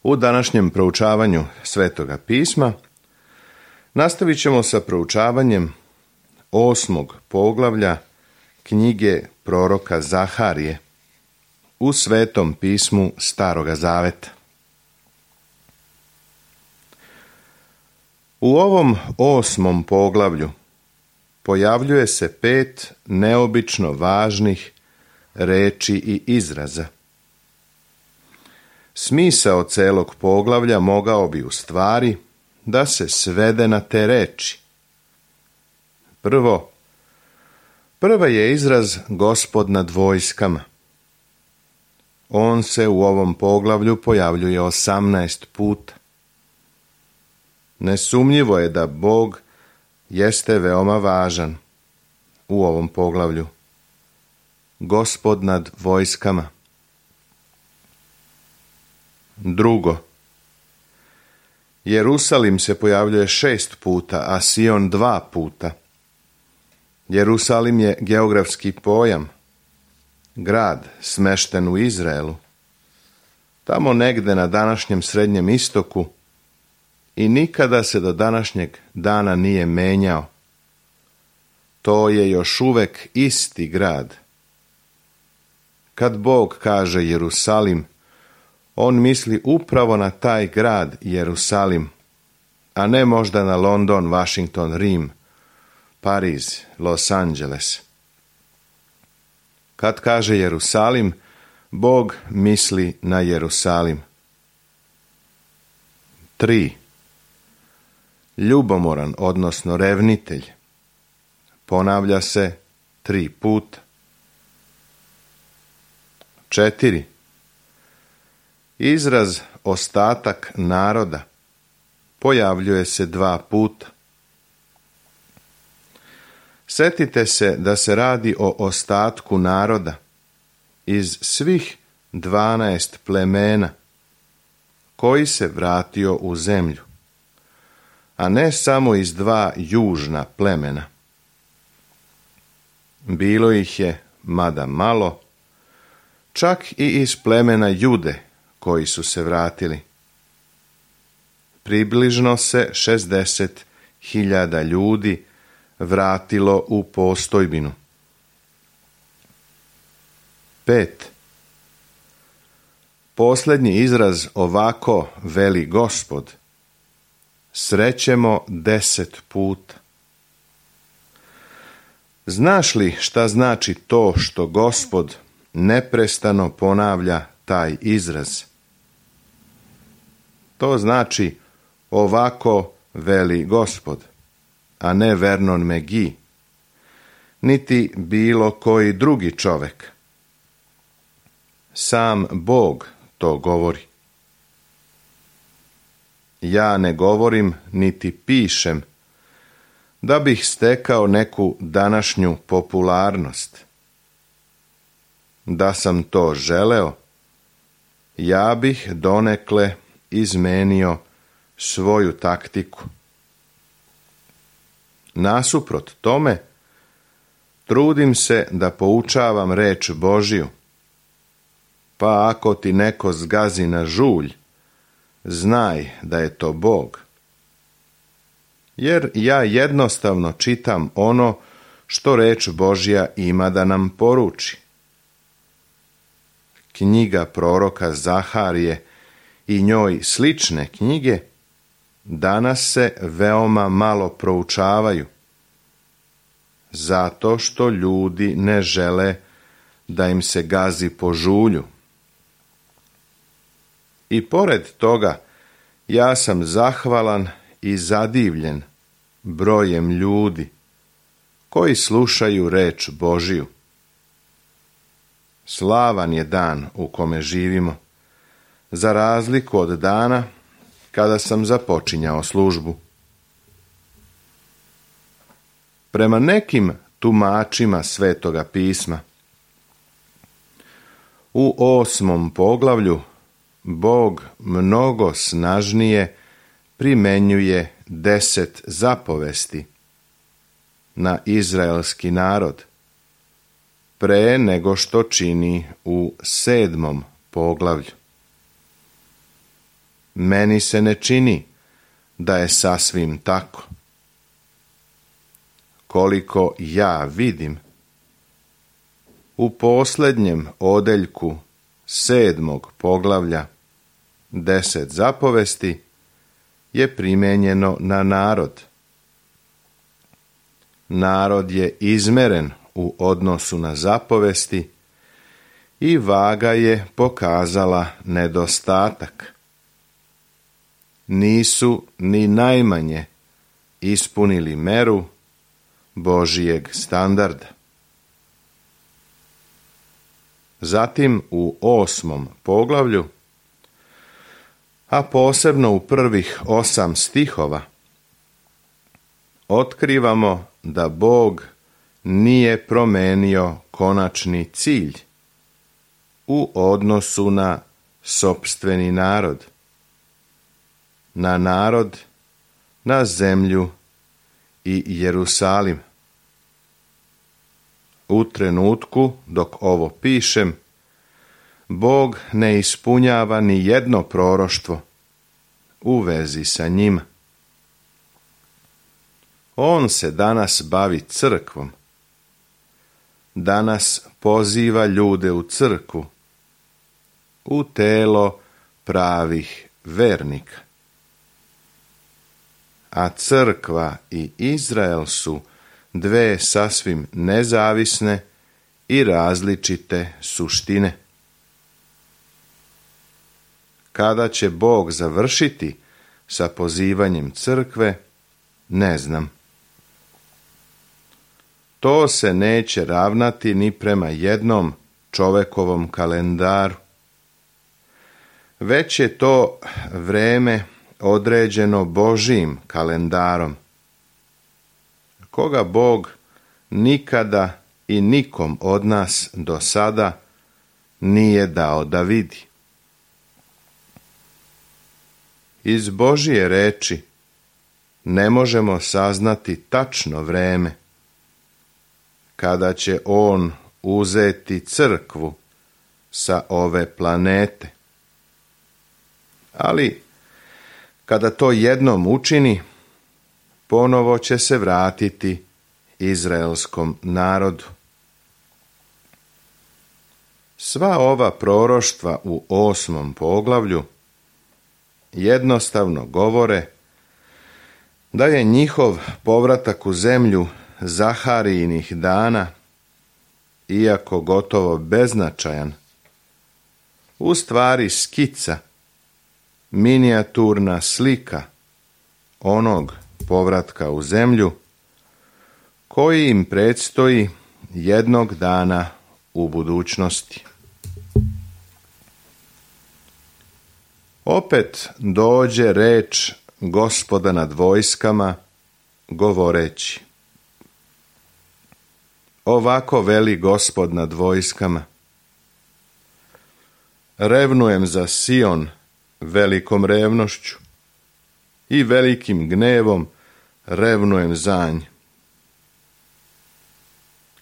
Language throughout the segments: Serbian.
U današnjem proučavanju Svetoga pisma nastavit ćemo sa proučavanjem 8. poglavlja knjige proroka Zaharije u Svetom pismu Staroga Zaveta. U ovom 8. poglavlju pojavljuje se 5 neobično važnih reči i izraza. Smisao celog poglavlja mogao bi u stvari da se svede na te reči. Prva je izraz Gospod nad vojskama. On se u ovom poglavlju pojavljuje 18 puta. Nesumnjivo je da Bog jeste veoma važan u ovom poglavlju. Gospod nad vojskama. Drugo, Jerusalim se pojavljuje 6 puta, a Sion 2 puta. Jerusalim je geografski pojam, grad smešten u Izraelu, tamo negde na današnjem Srednjem istoku i nikada se do današnjeg dana nije menjao. To je još uvek isti grad. Kad Bog kaže Jerusalim, on misli upravo na taj grad Jerusalim, a ne možda na London, Washington, Rim, Pariz, Los Angeles. Kad kaže Jerusalim, Bog misli na Jerusalim. 3. Ljubomoran, odnosno revnitelj. Ponavlja se 3 puta. 4. Izraz ostatak naroda pojavljuje se 2 puta. Setite se da se radi o ostatku naroda iz svih 12 plemena koji se vratio u zemlju, a ne samo iz 2 južna plemena. Bilo ih je, mada malo, čak i iz plemena Jude koji su se vratili. Približno se 60.000 ljudi vratilo u postojbinu. 5. Posljednji izraz ovako veli Gospod srećemo 10 puta. Znaš li šta znači to što Gospod neprestano ponavlja taj izraz? To znači ovako veli Gospod, a ne Vernon McGee, niti bilo koji drugi čovek. Sam Bog to govori. Ja ne govorim niti pišem da bih stekao neku današnju popularnost. Da sam to želeo, ja bih donekle izmenio svoju taktiku. Nasuprot tome, trudim se da poučavam reč Božju, pa ako ti neko zgazi na žulj, znaj da je to Bog. Jer ja jednostavno čitam ono što reč Božja ima da nam poruči. Knjiga proroka Zaharije i njoj slične knjige danas se veoma malo proučavaju, zato što ljudi ne žele da im se gazi po žulju. I pored toga, ja sam zahvalan i zadivljen brojem ljudi koji slušaju reč Božiju. Slavan je dan u kome živimo, za razliku od dana kada sam započinjao službu. Prema nekim tumačima Svetoga pisma, u 8. poglavlju Bog mnogo snažnije primenjuje 10 zapovesti na izraelski narod, pre nego što čini u 7. poglavlju. meni se ne čini da je sasvim tako. Koliko ja vidim, u posljednjem odeljku 7. poglavlja 10 zapovesti je primijenjeno na narod. Narod je izmeren u odnosu na zapovesti i vaga je pokazala nedostatak. Nisu ni najmanje ispunili meru Božijeg standarda. Zatim u 8. poglavlju, a posebno u prvih 8 stihova, otkrivamo da Bog nije promenio konačni cilj u odnosu na sopstveni narod, na zemlju i Jerusalim. U trenutku dok ovo pišem, Bog ne ispunjava ni jedno proroštvo u vezi sa njima. On se danas bavi crkvom. Danas poziva ljude u crkvu, u telo pravih vernika. A crkva i Izrael su dve sasvim nezavisne i različite suštine. Kada će Bog završiti sa pozivanjem crkve, ne znam. To se neće ravnati ni prema jednom čovekovom kalendaru. Već je to vreme određeno Božijim kalendarom, koga Bog nikada i nikom od nas do sada nije dao da vidi. Iz Božije reči ne možemo saznati tačno vreme kada će on uzeti crkvu sa ove planete. Ali kada to jednom učini, ponovo će se vratiti izraelskom narodu. Sva ova proroštva u 8. poglavlju jednostavno govore da je njihov povratak u zemlju Zaharijinih dana, iako gotovo beznačajan, u stvari skica, minijaturna slika onog povratka u zemlju koji im predstoji jednog dana u budućnosti. Opet dođe reč Gospoda nad vojskama, govoreći: ovako veli Gospod nad vojskama: revnujem za Sion velikom revnošću i velikim gnevom revnujem za nj.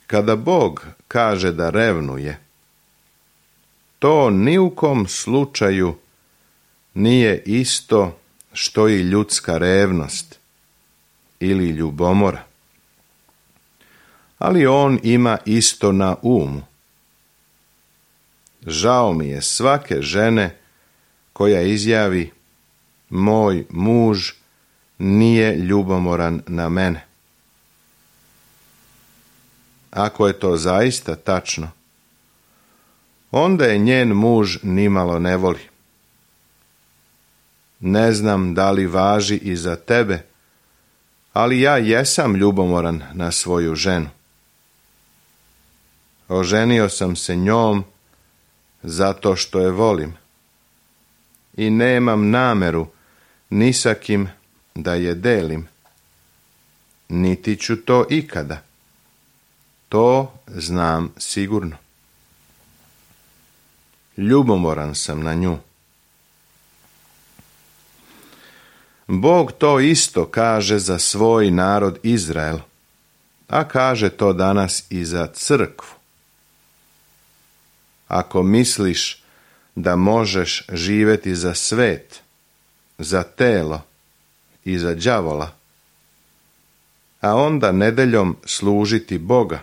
Kada Bog kaže da revnuje, to ni u kom slučaju nije isto što i ljudska revnost ili ljubomora. Ali on ima isto na umu. Žao mi je svake žene koja izjavi: moj muž nije ljubomoran na mene. Ako je to zaista tačno, onda je njen muž nimalo ne voli. Ne znam da li važi i za tebe, ali ja jesam ljubomoran na svoju ženu. Oženio sam se njom zato što je volim i nemam nameru ni sa kim da je delim, niti ću to ikada. To znam sigurno. Ljubomoran sam na nju. Bog to isto kaže za svoj narod Izrael, a kaže to danas i za crkvu. Ako misliš da možeš živjeti za svet za telo i za đavola, a onda nedeljom služiti Boga.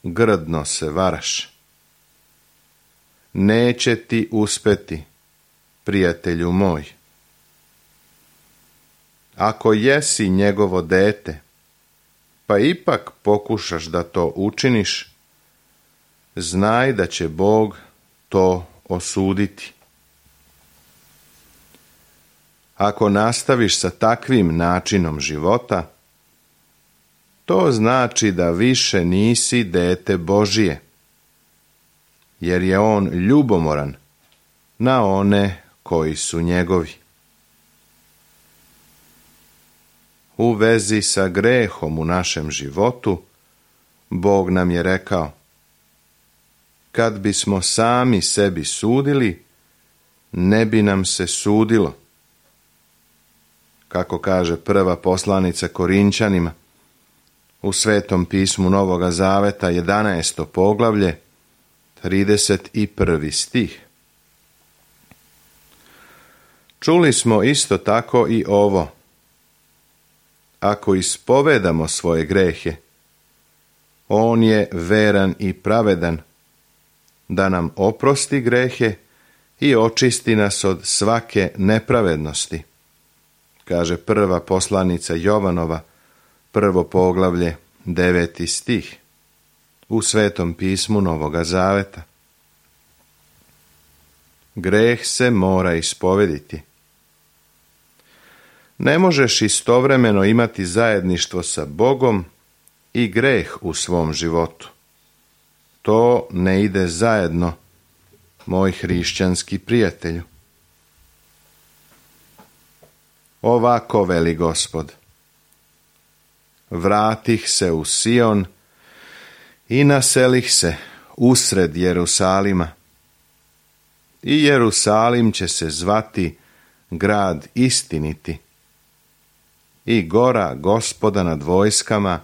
Grdno se varaš. Neće ti uspeti, prijatelju moj. Ako jesi njegovo dete, pa ipak pokušaš da to učiniš, znaj da će Bog to osuditi. Ako nastaviš sa takvim načinom života, to znači da više nisi dete Božije, jer je on ljubomoran na one koji su njegovi. U vezi sa grehom u našem životu, Bog nam je rekao: kad bismo sami sebi sudili, ne bi nam se sudilo. Kako kaže prva poslanica Korinćanima, u Svetom pismu Novoga Zaveta, 11. poglavlje, 31. stih. Čuli smo isto tako i ovo: ako ispovedamo svoje grehe, on je veran i pravedan, da nam oprosti grehe i očisti nas od svake nepravednosti, kaže prva poslanica Jovanova, 1. poglavlje, 9. stih, u Svetom pismu Novoga Zaveta. Greh se mora ispovediti. Ne možeš istovremeno imati zajedništvo sa Bogom i greh u svom životu. To ne ide zajedno, moj hrišćanski prijatelju. Ovako veli Gospod: vratih se u Sion i naselih se usred Jerusalima. I Jerusalim će se zvati grad istiniti i gora Gospoda nad vojskama,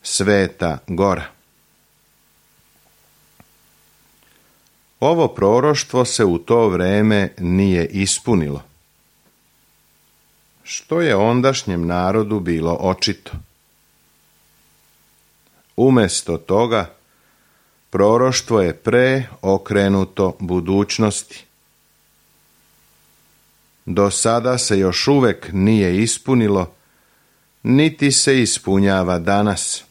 Sveta gora. Ovo proroštvo se u to vreme nije ispunilo, što je ondašnjem narodu bilo očito. Umjesto toga, proroštvo je preokrenuto budućnosti. Do sada se još uvek nije ispunilo, niti se ispunjava danas.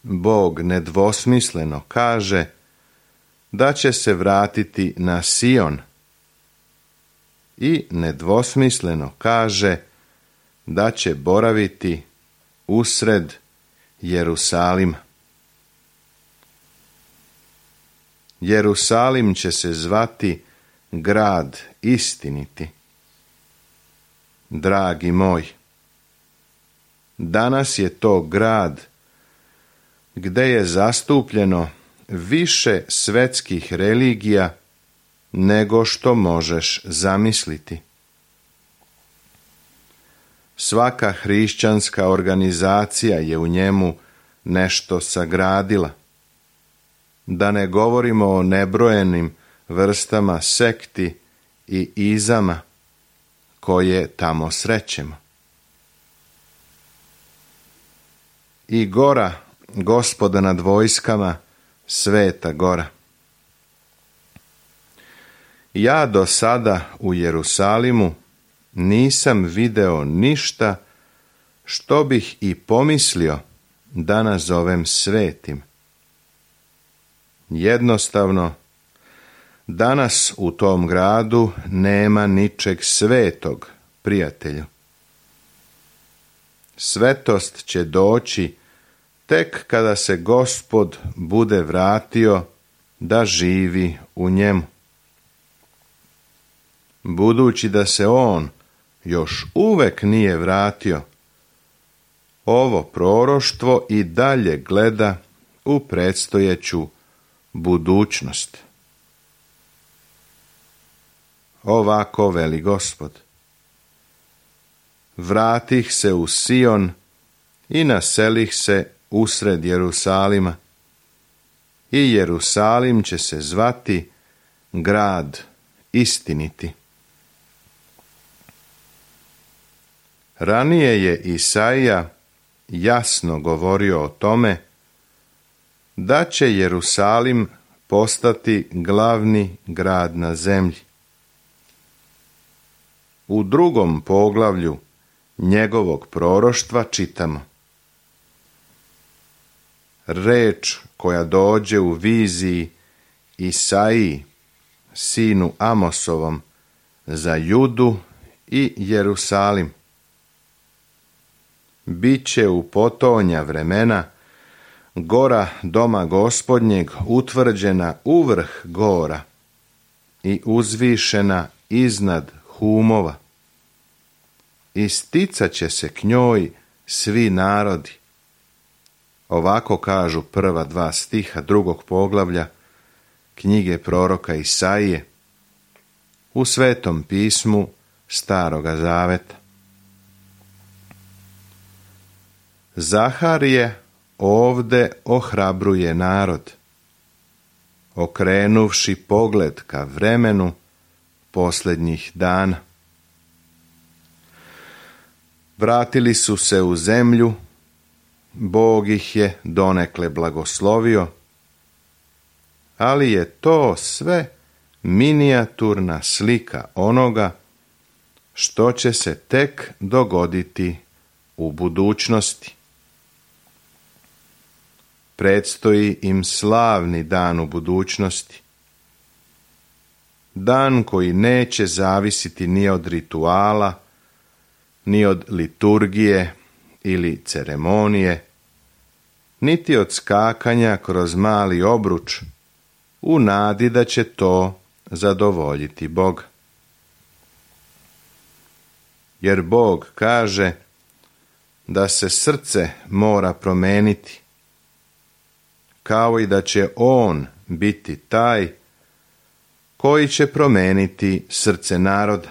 Bog nedvosmisleno kaže da će se vratiti na Sion i nedvosmisleno kaže da će boraviti usred Jerusalima. Jerusalim će se zvati grad istiniti. Dragi moj, danas je to grad gde je zastupljeno više svetskih religija nego što možeš zamisliti. Svaka hrišćanska organizacija je u njemu nešto sagradila. Da ne govorimo o nebrojenim vrstama sekti i izama koje tamo srećemo. I gora Gospoda nad vojskama, Sveta gora. Ja do sada u Jerusalimu nisam video ništa što bih i pomislio da nazovem svetim. Jednostavno, danas u tom gradu nema ničeg svetog, prijatelju. Svetost će doći tek kada se Gospod bude vratio da živi u njemu. Budući da se on još uvek nije vratio, ovo proroštvo i dalje gleda u predstojeću budućnost. Ovako veli Gospod: vratih se u Sion i naselih se usred Jerusalima, i Jerusalim će se zvati grad istiniti. Ranije je Isaija jasno govorio o tome da će Jerusalim postati glavni grad na zemlji. U 2. poglavlju njegovog proroštva čitamo: reč koja dođe u viziji Isaiji, sinu Amosovom, za Judu i Jerusalim. Biće u potonja vremena gora doma Gospodnjeg utvrđena uvrh gora i uzvišena iznad humova. Isticat će se k njoj svi narodi. Ovako kažu prva 2 stiha 2. poglavlja knjige proroka Isaije u Svetom pismu Staroga zaveta. Zaharije ovde ohrabruje narod, okrenuvši pogled ka vremenu posljednjih dana. Vratili su se u zemlju, Bog ih je donekle blagoslovio, ali je to sve minijaturna slika onoga što će se tek dogoditi u budućnosti. Predstoji im slavni dan u budućnosti. Dan koji neće zavisiti ni od rituala, ni od liturgije ili ceremonije, niti od skakanja kroz mali obruč, u nadi da će to zadovoljiti Boga. Jer Bog kaže da se srce mora promeniti, kao i da će On biti taj koji će promeniti srce naroda.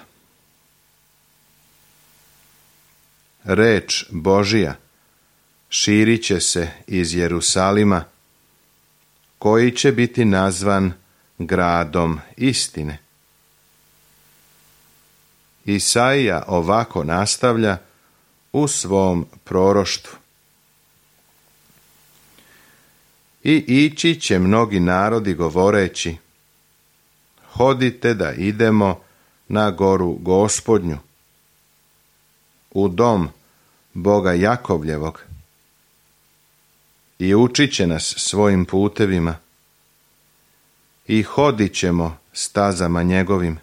Reč Božija širit će se iz Jerusalima, koji će biti nazvan gradom istine. Isaija ovako nastavlja u svom proroštvu: i ići će mnogi narodi govoreći: hodite da idemo na goru Gospodnju, u dom Boga Jakovljevog, i učit će nas svojim putevima, i hodit ćemo stazama njegovim.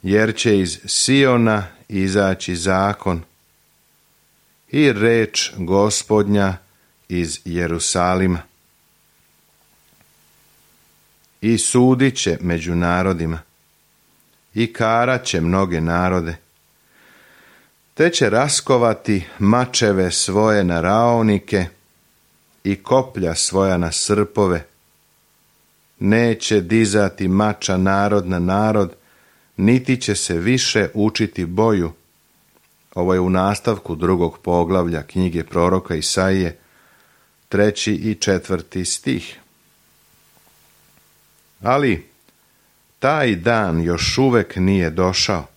Jer će iz Siona izaći zakon i reč Gospodnja iz Jerusalima. I sudit će među narodima i karat će mnoge narode, te će raskovati mačeve svoje na raonike i koplja svoja na srpove. Neće dizati mača narod na narod, niti će se više učiti boju. Ovo je u nastavku 2. poglavlja knjige proroka Isaije, 3. i 4. stih. Ali taj dan još uvek nije došao.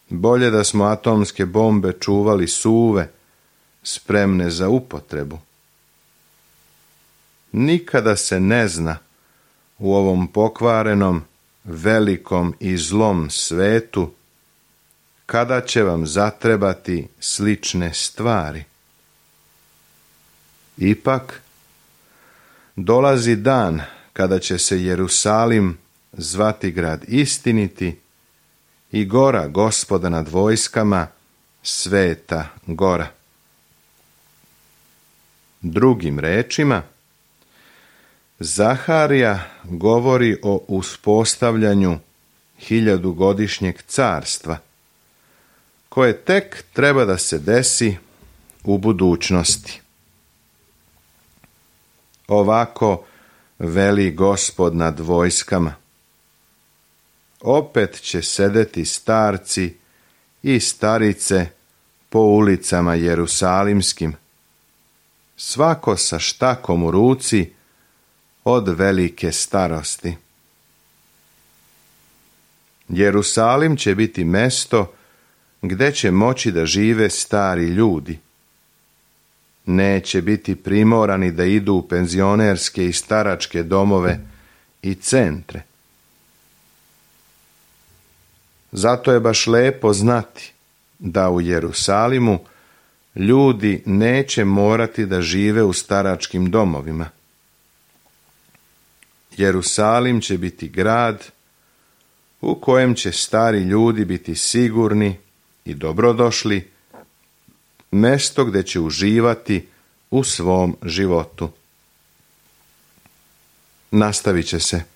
Bolje da smo atomske bombe čuvali suve, spremne za upotrebu. Nikada se ne zna u ovom pokvarenom, velikom i zlom svetu kada će vam zatrebati slične stvari. Ipak, dolazi dan kada će se Jerusalim zvati grad istiniti i gora Gospoda nad vojskama, sveta gora. Drugim rečima, Zaharija govori o uspostavljanju 1000-godišnjeg carstva, koje tek treba da se desi u budućnosti. Ovako veli Gospod nad vojskama: opet će sedeti starci i starice po ulicama jerusalimskim, svako sa štakom u ruci od velike starosti. Jerusalim će biti mesto gdje će moći da žive stari ljudi. Neće biti primorani da idu u penzionerske i staračke domove i centre. Zato je baš lepo znati da u Jerusalimu ljudi neće morati da žive u staračkim domovima. Jerusalim će biti grad u kojem će stari ljudi biti sigurni i dobrodošli, mesto gdje će uživati u svom životu. Nastavit će se.